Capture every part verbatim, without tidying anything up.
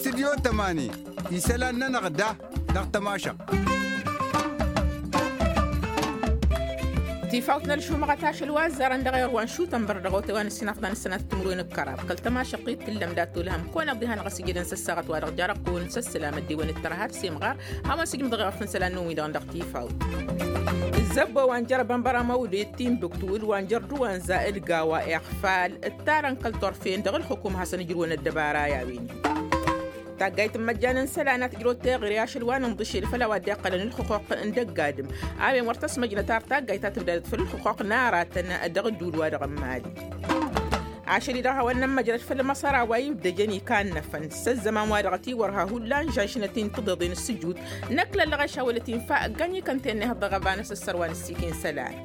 Tidyo tămani isălan-nănăɣ da dăɣ-tămašăɣt. Tifawt n-ălšumăɣăt ašăl wa ăzzarăn dăɣ-erwan šutăn băr dăɣ-otay wa n-ǝssinafḍan ǝssănatăt timǝrwen d-kăraḍ kăl-tămašăɣt-i d-tǝllăm dat-olhăm kăwăn-iḍihănăɣ a-s ijădăn s-ăssaɣăt wa dăɣ-jarăɣ-kăwăn s-ăssălam ăddewăn d-tărha d-semɣar. Hawăn-sǝjmǝdăɣ i-iɣăf n-isălan-năwăn-wi-dăɣ dăɣ-tifawt. Zăbbo wa n-jer-bănbăra măwde d-timbuktu d-wa n-jer-duwănza d-gawa iɣfal ǝttarăn kăl-turfen dăɣ-ǝlxǝkum hasăn-ǝjrǝwăn ăddăbara i-a-wen-hi. Taggayt n-imăjjan n-isălan a tǝjrăwăt teɣăre ašăl wa n-inḍǝšel făll-a-wa dd-iqqălăn ǝlxǝquq n-dăgg-adǝm a-wen wăr tăsmăjnăt ar taggayt ta tǝbdadăt făll-ǝlxǝquq n-aratăn dăɣ-ǝddul wa dăɣ-n mali. Ašăl-i-dăɣ hawăn-nămmăjrăd făll-măsăra wa ibdăjăn ikannăfăn s-ăzzăman wa dăɣ-t-iwărha hullan žănšnăt-in tǝḍeḍen s-sǝjut. Năkk lăllăɣ ašawălăt infa ăgg-ănikăn tennehăḍ dăɣ-ăbanăs ăssărwan ǝssikin isălan.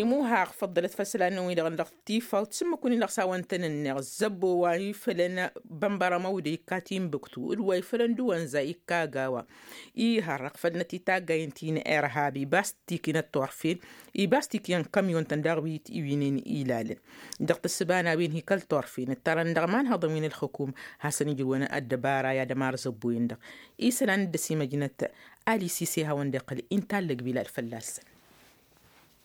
Imuhaɣ făḍḍălăt făll-isălan-năwăn-wi-dăɣ n-dăɣ-tifawt s-ǝmmǝk-win-dăɣ s-hawăn-tăn-ǝnneɣ zăbbo wa ifălăn bănbăra măwde ikka timbuktu d-wa ifălăn duwănza ikka agawa. Ihărrăɣ făll-năt i-taggayǝn ti n-irhab ibas tikinăt turfen ibas tikinăt kamyon-tăn daɣ wi t-iwǝynen ilalăn. Dăɣ-tǝssǝba n-a-wen hi kăl-turfen ǝttarăn dăɣ-imanhăḍăn wi n-ǝlxǝkum hasăn-ijrǝwăn ăddăbara i-ad-ămar zăbbo-in-dăɣ isălan dd-ăsimăjnăt. Ali sise hawăn-dd-iqqăl inta allăg bilal fălla-săn.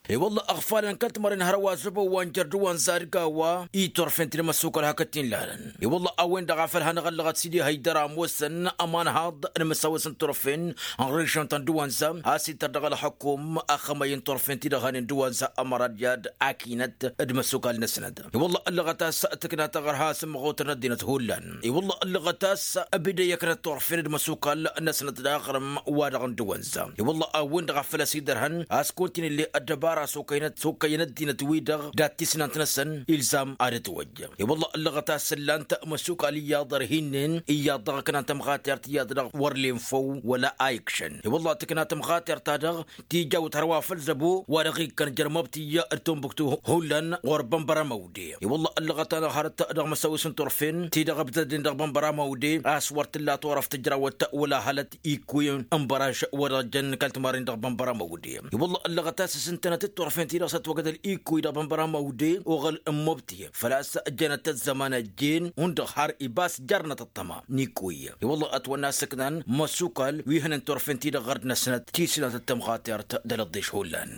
I-wălla ăɣfalăn kăl-timărăn hărwa zăbbo wa n-jăr d-wa n-zadgawa i-turfen-t d-măssukăl hakd-t-in lalăn. I-wălla a-wen-dăɣ a făl hanăɣ-ăllăɣăt s-dd-ihăy dăr-ămoosăn ămanhaḍ n-imǝsawăs n-turfen n-režion ta n-dăwanza a-s ittăr dăɣ-ălxukum ăxxămăy n-turfen-ti-dăɣ hanen dăwanza ămăra d-i-ad-akinăt d-imăssukal-năsnăt. I-wălla ăllăɣăt a-s tǝkna taɣărha s-ǝmmăɣotăn ăddinăt hullan. I-wălla ăllăɣăt a-s ăbidăyyăknăt turfen d-imăssukal-năsnăt d-aɣrǝm wa dăɣ-n dăwanza. I-wălla a-wen-dăɣ a făl ăsidărhăn a-s kontinǝlle ăddăbara s-okăyăn ăddinăt-wi-dăɣ dat-tisnant-năsăn ilzam ad-ătwăjj. I-wălla ăllăɣăt a-s ǝllan-t imăssukal iyyăḍ ărhinnen iyyăḍ dăɣ-ǝknan tămɣatert iyyăḍ dăɣ-wăr lenfăw wăla a ikšăn. I-wălla tǝkna tămɣatert-ta-dăɣ tijawt hărwa făll-zăbo wa dăɣ-ikkăn jer-măbtǝy d-tunbuktu hullan ɣur-bănbăra măwde. I-wălla ăllăɣăt-anăɣ hărăt dăɣ-măsăwis n-turfen ti-dăɣ ǝbdădnen dăɣ-bănbăra măwde a-s wăr t-ǝlla turăft ǝjrawăt wăla hălăt ikkuy n-bărăž wa dăɣ-jăn kăl-timarren dăɣ-bănbăra măwde. I-wălla ăllăɣăt a-s s-ǝntănăt d-turfen ti-dăɣ s-ătwăgădăl ikkuy dăɣ-bănbăra măwde oɣăl n-măbtǝy făl-a-s jănăt ăzzăman ăjjeen hundăɣ har ibas jarnăt ăṭṭăma n-ikkuy. I-wălla ătwănna s-ǝknan măsukal wi hănen turfen-ti-dăɣ ɣărd-năsnăt tisnat d-tămɣatert d-alăḍḍeš hullan.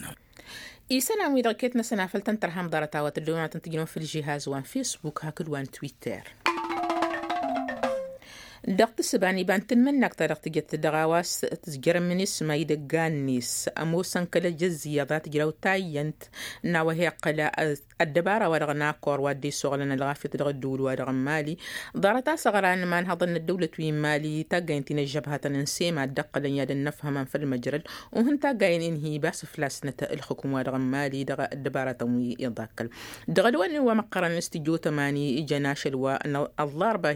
Isălan-wi-dăɣ iket-năsăn a făl tăn-tărhăm ḍarăt a-wa tǝddǝwăn wa tăn-tǝjnăwăn făll-žihaz wa n-fesbuk hakd wa n-twitter. Dăɣ-tǝssǝba n-iba n-tanmǝnnakt ta dăɣ-tǝjăt dăɣ-a-wa s-tǝzjărăn minisma idăgg-annes ămoosăn kăl-ejăzz iyyăḍ a tǝjraw tayyănt n-a-wa hi-iqqăl ăddăbara wa dăɣ-nakor wa dd-isuɣǝlăn ălɣafyăt dăɣ-ădduul wa dăɣ-n mali. Ḍarăt-as ăɣran imanhăḍăn n-ăddăwlăt wi n-mali taggayǝn ti n-ăžžăbhatăn n-sema dd-ǝqqǝlăn i-ad-ănnăfhămăn făll-măjrăd. Uhǝn taggayǝn-in hi-bas ǝflasnăt ǝlxǝkǝm wa dăɣ-n mali dăɣ-ăddăbaratăn wi iḍakkăl. Dăɣ-ălwănnin wa măqqărăn s-tijotămani ijăn ašăl wa n-ăllarba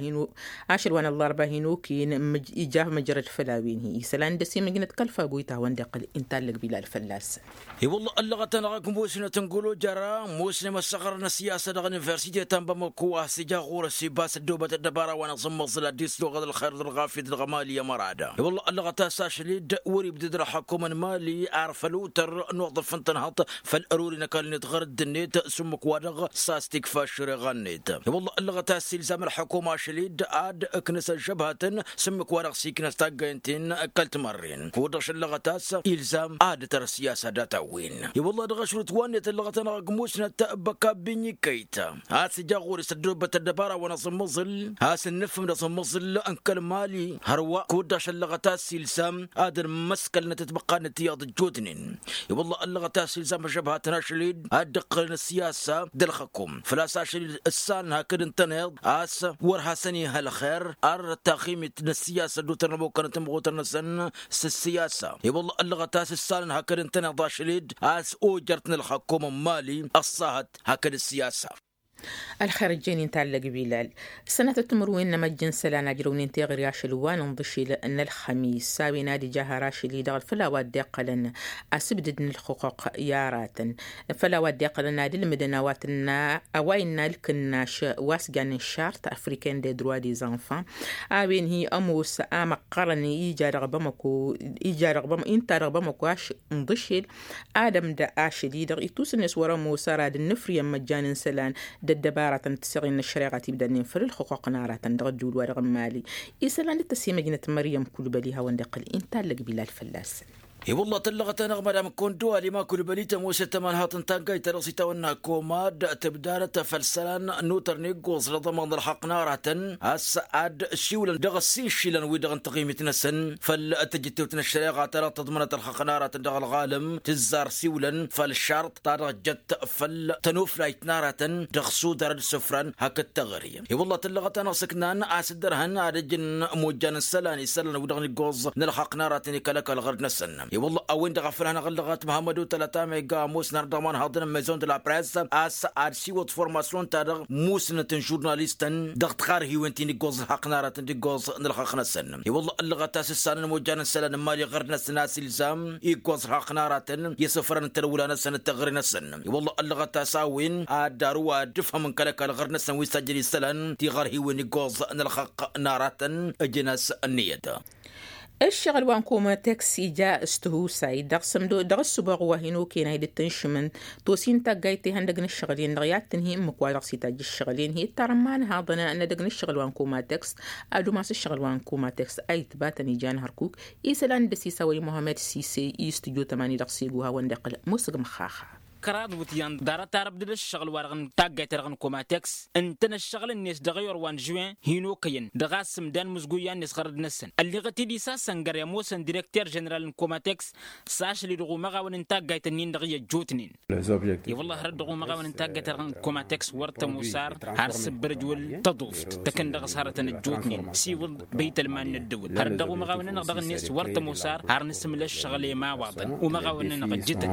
hin-okăyăn ija măjrăd făll-a-wen-hi isălan dăr-s imǝjnăt kăl-fagoyt a hawăn-dd-iqqăl inta allăg bilal fălla-săn. I-wălla ăllăɣăt-anăɣ ăgg musnăt n-gulujăra musnăy măssăɣrăn ăssiyasă dăɣ-universite ta n-bamăko a-s ija ɣur-s ibas ăddoobăt ăddăbara wa n-aẓǝmmăẓǝl ad-dd-isluɣăd ălxer d-ălɣafyăt dăɣ-mali ămăra da. I-wălla ăllăɣăt a-s ašăl-dd wăr-ibdăd ălxăkum n-mali ar făl utăr n-uḍǝf n-tănhăḍt făll-ăruri n-ăkall-net ɣur-dd-net s-ǝmmǝk-wa-dăɣ s-a-s tikfa aššăreɣa-net. I-wălla ăllăɣăt a-s ilzam ălxăkum ašăl-dd ad-ǝknǝs ăžžăbhatăn s-ǝmmǝk-wa-dăɣ s-iknăs taggaynt-in kăl-timărren kud-dăɣ šăllăɣăt a-s ilzam ad-ǝtăr ăssiyasa data-wen. I-wălla dăɣ-ašrut wa-net ăllăɣăt-anăɣ ăgg musnăt băkabbi n-ikkăyt a-s ija ɣur-s ăddoobăt ăddăbara wa n-aẓǝmmăẓǝl a-s ǝnnǝfhǝm d-aẓǝmmăẓǝl n-kăl-mali hărwa kud-dăɣ šăllăɣăt a-s ilzam ad-ănmăskălnăt ătbăqqad-net iyyăḍ ăjjootnen. I-wălla ăllăɣăt a-s ilzam ăžžăbhatăn ašăl-dd ad-dd-ǝqqǝlăn ăssiyasa d-ălxăkum făl-a-s ašăl-dd ǝssanăn hakd ǝntăneḍ a-s wăr hasăn-ih ălxer arr ăttaximit n-ăssiyasa dd-utărnămokăn timɣutăr-năsăn s-ăssiyasa. I-wălla ăllăɣăt a-s ǝssanăn hakd ǝntăneḍ ašăl-dd a-s ojărt n-ălxăkum n-mali ăṣṣahăt hakd ăssiyasa. Ălxer ǝjjăynen tallăg bilal. Sănatăt timǝrwen n-emăjj n-isălan a ǝjrăwnen teɣăre ašăl wa n-inḍǝšel n-ălxămis s-a-wen ad-ija har ašăl-i-dăɣ făll-a-wa dd-iqqălăn asǝbdǝd n-ǝlxǝqquq i-aratăn făll-a-wa dd-iqqălăn ad-ǝlmǝdăn a-wa tǝnna a-wa innă ǝlkǝnnaš wa s-jannen šart afriken de droit des enfants. A-wen hi-ămoos a măqqărăn ija dăɣ-bamăko ija dăɣ-bamăko inta dăɣ-bamăko ašăl inḍǝšel. Ad-ămdă ašăl-i-dăɣ itusǝnnes wăr-ămoos ara d-ǝnnǝfrǝyăn măjjan n-isălan. Ăddăbaratăn d-tiseɣin n-ăššăreɣa tibdannen făll-ǝlxǝqquq n-aratăn dăɣ-ădduul-wa-dăɣ n-mali. Isălan d-tăsimăjnăt măryăm kulbăli hawăn-dd-iqqǝl inta ăllăg bilal fălla-săn. I-wălla tăllăɣăt-anăɣ madam kondo alima kulbăli tămoosăt ămanhaḍ n-taggayt ta dăɣ-s itawănna komad tǝbdarăt făll-isălan n-utăr n-iggoẓ dăɣ-ămaḍ n-ălxaqq n-aratăn a-s ad-siwlăn dăɣ-ăssiišilăn-wi-dăɣ n-taɣimit-năsăn făll-tǝjǝttewt n-ăššăreɣa ta dăɣ-tăḍmănăt ălxaqq n-aratăn dăɣ-ălɣalăm tǝzzar siwlăn făll-šarḍ ta dăɣ-jăt făll-tănuflayt n-aratăn dăɣ-sudar d-sǝfran hakd taɣări. I-wălla tăllăɣăt-anăɣ s-ǝknan a-s dd-ărhăn ad-ăjǝn mojjan n-isălan isălan-wi-dăɣ n-iggoẓ n-ălxaqq n-aratăn i-kăl-ăkall ɣărd-năsăn. I-wălla a-wen-dăɣ a făl hanăɣ-ăllăɣăt măhammădu tălăt amega ămoosăn har dăɣ-imanhaḍăn n-maison de la press a-s ad-siwăḍ formasyon-ta-dăɣ musnăt n-žurnalistăn dăɣ-tiɣarhiwen ti n-iggoẓ ălxaqq n-aratăn d-iggoẓ n-ălxaqq-năsăn. I-wălla ăllăɣăt a-s ǝssanăn mojjan n-isălan n-mali ɣărd-năsăn a-s ilzam iggoẓ ălxaqq n-aratăn i-isǝfrăn n-tălwǝla-năsăn d-taɣre-năsăn. I-wălla ăllăɣăt a-s a-wen ad-daru ad-dd-ǝfhămăn kăl-ăkall ɣărd-năsăn wi s-ăjjăn isălan tiɣărhiwen iggoẓ n-ălxaqq n-aratăn. Ǝjǝn-as ǝnniyăt. Ǝššăɣǝl wa n-komateks ija s-tihusay dăɣ-ǝssǝmdo dăɣ-ǝssǝboɣ wa hin-okăyăn a hi-dd-tǝnšǝmăn tosin taggayt ihăndăg n-ǝššăɣǝl-en-dăɣ i-ad-tǝnhǝy ǝmmǝk wa dăɣ-s itajj ǝššăɣǝl-en hi-ǝttarăn imanhaḍăn n-edăgg n-ǝššăɣǝl wa n-komateks. Ad-umas ǝššăɣǝl wa n-komateks a itbatăn ijan hărkuk isălan d-ăsisawăy muhammed sise i-s tǝjo tămani dăɣ-segu hawăn-dd-iqqǝl musǝg măxxaxa. Kăraḍ wǝtyan ḍarăt arăbdăd ǝššăɣǝl-wa-dăɣ n-taggayt-ta-dăɣ n-komateks ǝntăn ǝššăɣǝl-net dăɣ-ewăr wa n-žuwen hin-okăyăn dăɣ-a-s ǝmdan mǝzguyyan-net ɣărăd-năsăn ălliɣăt-dd isasăngăr i-ămoosăn direkter ženeral n-komateks. S-ašăl-i dăɣ-umăɣawăn n-taggayt-ǝnnin-dăɣ i-ăjjootnen. I-wălla hărăt dăɣ-umăɣawăn n-taggayt-ta-dăɣ n-komateks wăr tămoos ar har s-ǝbbărăj wăl tăḍuft tăkăn dăɣ-s hărătăn ăjjootnen siwǝḍ băytălman n-ăddăwăl hărăt dăɣ-umăɣawăn-nănăɣ dăɣ-net wăr tămoos ar har nǝsǝmǝl ǝššăɣǝl i-imawaḍăn umăɣawăn-nănăɣ ǝjjǝtăn.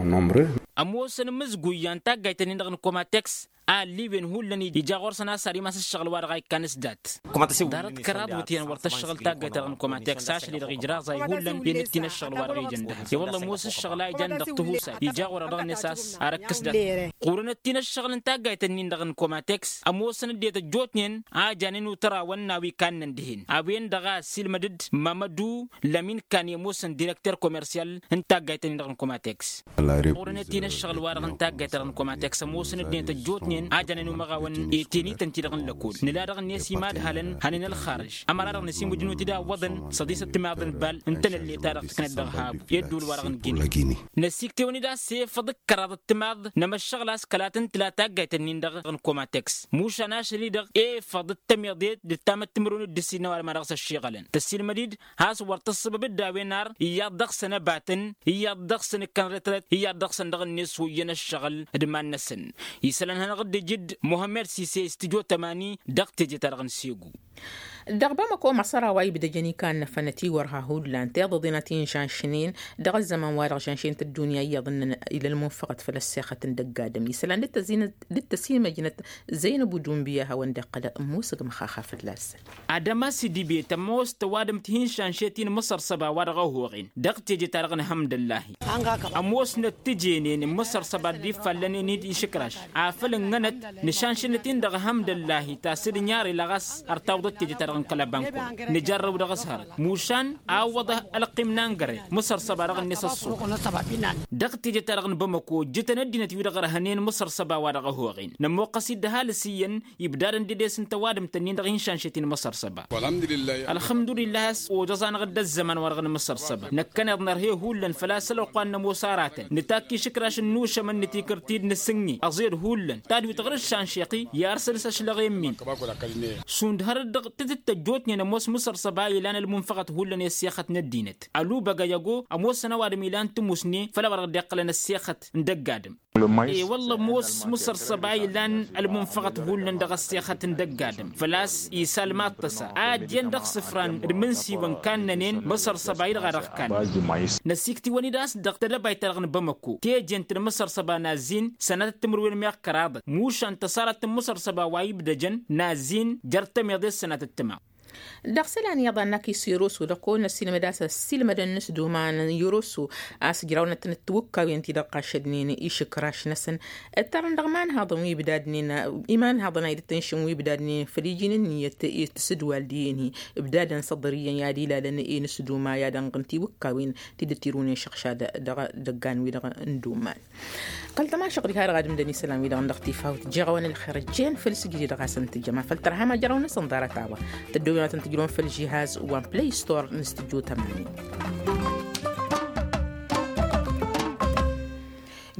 Ămoosăn imǝzguyyan taggayt-ǝnnin-dăɣ n-komateks a ălliwen hullan ija ɣur-săn a-s ad-imas ǝššăɣǝl-wa-dăɣ a ikkan s-dat. Ḍarăt kăraḍ wǝtyan wăr tăššăɣǝl taggayt-ta-dăɣ n-komateks ašăl-i-dăɣ ijraẓay hullan i-nǝttin ǝššăɣǝl-wa-dăɣ ijăn dăhăb i-wălla ămoos ǝššăɣǝl a ijan dăɣ-tihusay ija ɣur-dăɣ-net a-s ar ǝkkǝs dat. Ɣur-enăttin ǝššăɣǝl n-taggayt-ǝnnin-dăɣ n-komateks ămoosăn ăddinăt ăjjootnen a janen utărawăn n-a-wa ikannăn dihen a-wen-dăɣ a ăssiilmăd-dd mamădu lămin kan i-ămoosăn direkter komersyal n-taggayt-ǝnnin-dăɣ n-komateks. Ɣur-enăttin ǝššăɣǝl-wa-dăɣ n-taggayt-ta-dăɣ n-komateks ămoosăn ăddinăt ăjjootnen a janen umăɣawăn i-tenităn-ti-dăɣ n-lăkol nǝla dăɣ-net imadhalăn hanen ălxarǝž ămăra-dăɣ năsimǝjnu tidawwăḍăn săḍisăt timaḍ n-bal n-tenălle ta dăɣ-tǝknăt dăɣ-habu i-ădduul-wa-dăɣ n-gini. Năsiktewăn-dd a-s efăḍ d-kăraḍăt timaḍ n-emăššăɣǝl a-s kăla tǝntǝla taggayt-ǝnnin-dăɣ n-komateks mušan ašăl-i-dăɣ efăḍ d-tămeḍet d-tamăttǝmrǝwăn d-ǝssin n-ăwadǝm a dăɣ-s-ăššiɣălăn tăssilmăd-dd has-wăr tǝssǝbăb-dd a-wen ar iyyăḍ dăɣ-săn ăbatăn iyyăḍ dăɣ-săn ǝkkan retărăt iyyăḍ dăɣ-săn dăɣ-net huyǝn ǝššăɣǝl d-iman-năsăn. Isălan hanăɣ-dd-ijǝd muhămmăd sise s-tǝjo tămani dăɣ-teje-ta-dăɣ n-segu. Dăɣ-bamăko măsăra wa ibdăjăn ikannăfăn ătiwărha hullan tiḍăḍen a t-inšanšnen dăɣ-ăzzăman-wa-dăɣ žănšent ăddunya iyyăḍ ǝnnăn ila ălmunfăɣăt făll-ăssexăt n-dăgg-adǝm isălan dd-tăsimăjnăt zăynăb udumbiya hawăn-dd-iqqăl ămmusăg măxaxa fălla-săn. Adămas idibet ămoos tăwadǝmt hi-inšanšet-in mǝsărsăba wa dăɣ-ăhoɣen dăɣ-teje-ta-dăɣ n-hămdăllahi. Ămoosnăt tijenen n-imǝsărsăba dd-iffallănen-dd išǝkraš afăl ǝnnănăt nǝšanšănăt-in dăɣ-hămdăllahi tasǝdǝnyar ila ɣas ărtawǝḍăt teje-ta-dăɣ n-kăl-ăbankun nǝjărrăw dăɣ-s hărăt mušan a ǝwwăḍăh ălqim n-angăre mǝsărsăba dăɣ-net ăṣṣuɣ. Dăɣ-teje-ta-dăɣ n-bamăko ǝjjǝtăn ăddinăt wi-dăɣ ărhănen mǝsărsăba wa dăɣ-ăhoɣen nămmuqqăs-dd ăhalǝs iyyăn ibdadăn dedes n-tăwadǝmt-ǝnnin dăɣ-inšanšet-in măsărsăba. Ălxămdulillah a-s ojăẓ-anăɣ-dd ăzzăman-wa-dăɣ n-imǝsărsăba năkkăneḍ nărhe hullan făl-a-s ălwăqq wa n-nămoos aratăn nǝtakk išǝkraš n-inušămăn nǝtikǝr-t-dd nǝsǝnni ăẓed hullan tadwit ɣur-dd šanšeɣ-i i-ar săl-s ăšlăɣ i-min. Šund hărăt dăɣ-tǝtǝttăjjotnen ămoos mǝsărsăba ilan ălmunfăɣăt hullan i-ăssexăt n-ăddinăt ălubăgăy ăgo ămoosăn ăwadǝm ilan tǝmusne făll-a-wa dăɣ-dd-iqqălăn ăssexăt n-dăgg-adǝm. E-wălla ămoos mǝsărsăba ilan ălmunfăɣăt hullan dăɣ-ăssexăt n-dăgg-adǝm făl-a-s isalma ăṭṭăsa a ăddiyăn dăɣ-isǝfran d-imǝnsiwăn kannănen mǝsărsăba-i-dăɣ a dăɣ-kannăn. Năsiktiwăn-dd a-s dăɣ-tedăbayt-ta-dăɣ n-bamăko teje n-tǝnmǝsărsăba n-azzin sănatăt timǝrwen meɣ kăraḍăt mušan tăṣarăt n-imǝsărsăba wa ibdăjăn n-azzin jer-tămeḍe s-sănatăt timaḍ. Dăɣ-isălan iyyăḍ a n-akis iroso dăɣ-kăwăn-năssilmăd a-s ăssiilmădăn n-s d-uman iroso a-s ǝjrawnăt n-tiwǝkkawen ti-dăɣ ɣašădnen išǝkraš-năsăn. Ǝttărăn dăɣ-imanhaḍăn wi ǝbdadnen imanhaḍăn a idăt-ǝnšǝn wi ǝbdadnen făll-iji n-ǝnniyăt i-tǝsǝdwal diyen-hi ǝbdadăn săḍăr iyyăn i-ad-ilalăn i-nǝsduma i-ad-ănɣǝn tiwǝkkawen ti dd-tirunen šăɣšad dăɣ-idăggan-wi-dăɣ n-duman. Kăl-tămašăɣ diha-dăɣ ad-ǝmdăn isălan-wi-dăɣ n-dăɣ-tifawt jăɣăwăn ălxer ǝjjen făll-sǝjdǝd ɣas n-tǝjjăma făll-tărha ma jărăw-năsăn ḍarăt-a-wa tăddoben wa tăn-tǝjrăwăn făll-žihaz wa n-play store n-stǝjjo tămani.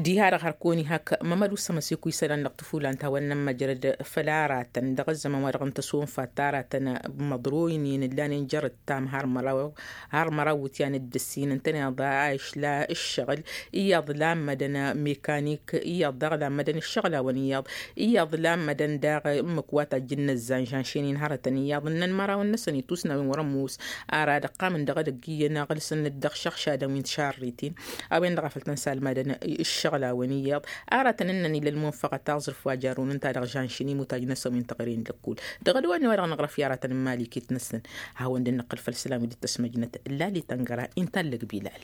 Diha-dăɣ hărkăwăn-i hak mămădu s-ămăsekuy isălan dăɣ-tǝfulan ta wa n-nămmăjrăd făll-aratăn dăɣ-ăzzăman wa dăɣ-n tăsonfat aratăn măḍroynen ǝllanen jer-ǝttam har măraw har măraw wǝtyan d-ǝssin ǝntăneḍ a išla ǝššăɣǝl iyyăḍ lammădăn mekanik iyyăḍ daɣ lammădăn ǝššăɣǝl a-wăn iyyăḍ iyyăḍ lammădăn daɣ ǝmmǝk wa tajjǝn n-ăzzan žanšen-in hărătăn iyyăḍ ǝnnăn mărawăn-năsăn itusnawen wăr-ămoos ara dăɣ-iqqamăn dăɣ-edăgg iyyăn aɣǝlsăn-dd dăɣ-išăɣšadăn wi n-tišarritin a-wen-dăɣ a făl tăn-salmadăn ǝššăɣǝl a-wen iyyăḍ aratăn ǝnnăn ila ălmunfăɣăt aẓrǝf wa jarrun ǝnta dăɣ-žanšen imutaj-năsăn wi n-teɣăre n-lăkkul. Dăɣ-ădwănne wa dăɣ-năɣrăf i-aratăn n-imali iket-năsăn hawăn-dd-năqqǝl făll-isălan wi dd-tăsmăjnăt lali tăngăra inta ăllăg bilal.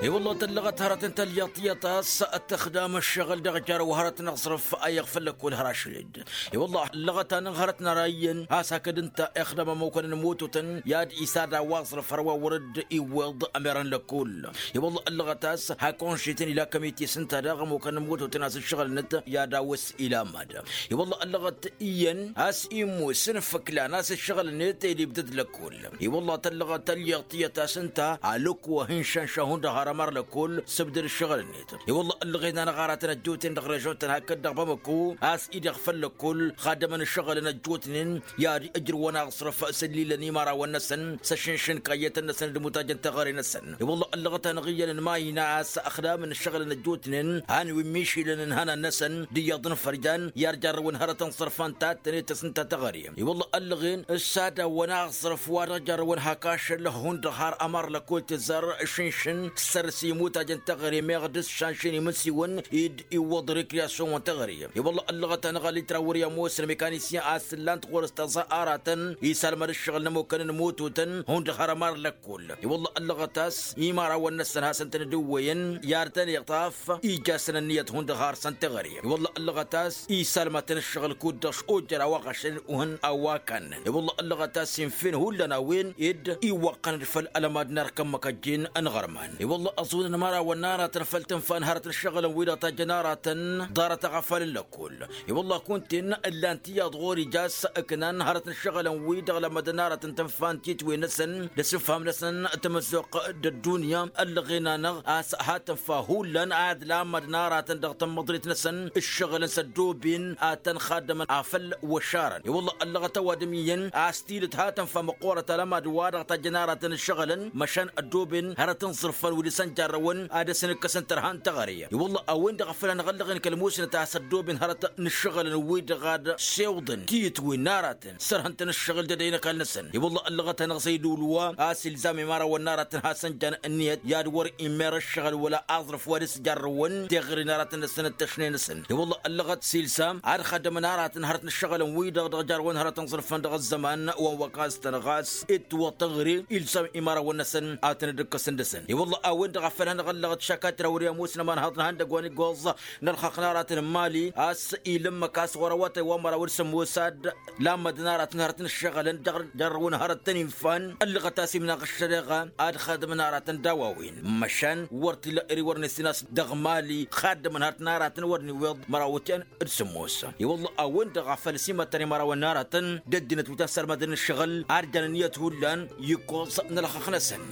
I-wălla tăllăɣăt hărăt n-tălyaḍ tiyyăt a-s ăttăxdam ăššăɣǝl dăɣ-jarăw hărăt n-aẓrǝf a iɣ făll-lăkkul hărašăl-dd. I-wălla ăllăɣăt-anăɣ hărăt n-ara iyyăn a-s hakd ǝnta ixdăm ămukăn n-imututăn i-ad-isad a-wa aẓrǝf hărwa wăr-dd-iwweḍ ămerăn lăkkul. I-wălla ăllăɣăt a-s hak onšităn ila kămitis ǝnta daɣ ămukăn n-imututăn a-s ǝššăɣǝlnăt i-ad-awǝs ila mad. I-wălla ăllăɣăt iyyăn a-s immos n-făklan a-s ǝššăɣǝlnet ed ibdăd lăkkul. I-wălla tăllăɣăt ălliɣ tiyyăt a-s ǝnta alǝkk wa hin-šănša hundăɣ har ămăr lăkkul s-ǝbdăd ǝššăɣǝlnet. I-wălla ăllăɣen-anăɣ aratăn ăjjoten dăɣ-režon-tăn hakd dăɣ-bamăko a-s idăɣ făll-lăkkul xaddămăn ǝššăɣǝlăn ăjjootnen i-ad-ǝjrǝwăn aẓrǝf s-ǝllilăn imărawăn-năsăn s-ăššǝnšǝn kayyătăn-năsăn d-imutaj n-teɣăre-năsăn. I-wălla ăllăɣăt-anăɣ iyyăn n-imayna a-s ăxdamăn ǝššăɣǝlăn ăjjootnen han wi n-mišilăn n-ihănan-năsăn d-iyyăḍ n-fărjan i-ad-jarrăwăn hărăt n-iẓrǝfan ta ăttănet tăsnǝnta teɣăre. I-wălla ăllăɣen ǝssadawăn aẓrǝf wa dăɣ-jarrăwăn hak ašăl hundăɣ har ămăr lăkkol tǝzzar šǝnšǝn s-săr-s imutaj n-teɣăre meɣ d-s-šanšăn imǝnsiwăn i-dd-iwwăḍ rekriyasyon wa n-teɣăre. I-wălla ăllăɣăt-anăɣ alitrawăr i-ămoos n-mekanisyen a-s ǝllan-t ɣur-s tăẓa aratăn isalmăd ǝššăɣǝl n-ămukăn n-imututăn hundăɣ har ămăr lăkkol. I-wălla ăllăɣăt a-s imărawăn-năsăn hasăn-tăn dd-ǝwwăyăn i-ad-tăn-iṭṭaf ija-săn ǝnniyăt hundăɣ har săn teɣăre. I-wălla ăllăɣăt a-s isalmatăn ǝššăɣǝl kud-dăɣ šojăr a-wa ɣašăn uhǝn a-wa kannen. I-wălla ăllăɣăt a-s infen hullan a-wen ed iwwăqqăn-dd făll-ălmad n-erk ǝmmǝk ăjjeen ănɣărman. I-wălla ăẓunăn imărawăn n-aratăn făll-tǝnfa n-hărăt n-ǝššăɣǝlăn-wi-dăɣ tajjăn aratăn ḍarăt aɣăfalăn lăkkol. I-wălla kunta-en ǝllan tiyyăḍ ɣur-ija a-s ǝknan hărăt n-ǝššăɣǝlăn-wi-dăɣ lămmădăn aratăn tǝnfa n-titwe-năsăn d-asǝfham-năsăn tamăzzuɣt d-ăddunya. Ăllăɣen-anăɣ a-s ha tǝnfa hullan ad-lammădăn aratăn dăɣ-tămmăḍrit-năsăn ǝššăɣǝlăn s-ăddooben ad-tăn-xaddămăn afăl wăšarăn. I-wălla ăllăɣăt ăwadǝm iyyăn a-s tidǝt ha tǝnfa măqqoorăt alămad wa dăɣ-tajjăn aratăn ǝššăɣǝlăn măšan ăddooben hărăt n-iẓrǝfăn wi dăr-săn jarrăwăn ad-dăr-săn ǝkkăsăn tărha n-teɣăre. I-wălla a-wen-dăɣ a făl hanăɣ-ăllăɣen kăl-musnăt a-s ăddooben hărăt n-ǝššăɣǝlăn-wi-dăɣ ad-sewḍăn tiyǝtwen n-aratăn sărhăn-tăn ǝššăɣǝl d-edăy n-ăkall-năsăn. I-wălla ăllăɣăt-anăɣ zăy d-ulwa a-s ilzam imărawăn n-aratăn hasăn-jan ǝnniyăt i-ad-wăr-imer ǝššăɣǝl wăla aẓrǝf wa dăr-s jarrăwăn teɣăre n-aratăn-năsăn d-tăšne-năsăn. I-wălla ăllăɣăt s-ilzam ad-xaddămăn aratăn hărăt n-ǝššăɣǝlăn-wi-dăɣ dăɣ-jarrăwăn hărăt n-iẓrǝfăn dăɣ-ăzzăman wa n-wăkastăn ɣas dd-tǝwwăḍ teɣăre ilzam imărawăn-năsăn ad-tăn-dd-ǝkkăsăn dăɣ-săn. I-wălla a-wen-dăɣ a făl hanăɣ-ăllăɣăt šakatrawăr i-ămoos n-ămanhăḍ n-ihăndăgg wa n-iggoẓ n-ălxaqq n-aratăn n-mali a-s ilǝmmăk a-s ɣur-awătay wa n-măraw d-sămoos ad-lammădăn aratăn hărăt n-ǝššăɣǝlăn dăɣ-jarrăwăn hărăt tăn-infan ăllăɣăt a-s imnaɣ ăššăreɣa ad-xadǝmăn aratăn d-a-wa-wen măšan wăr t-illa ere wăr nǝssin a-s dăɣ-mali xaddămăn hărăt n-aratăn wăr n-iwweḍ măraw wătyan d-sămoos. I-wălla a-wen-dăɣ a făl s-imăttăn imărawăn n-aratăn d-ăddinăt wi ta n-sărmadăn ǝššăɣǝl ad-jan ǝnniyăt hullan i-ǝkkoẓ n-ălxăqq-năsăn.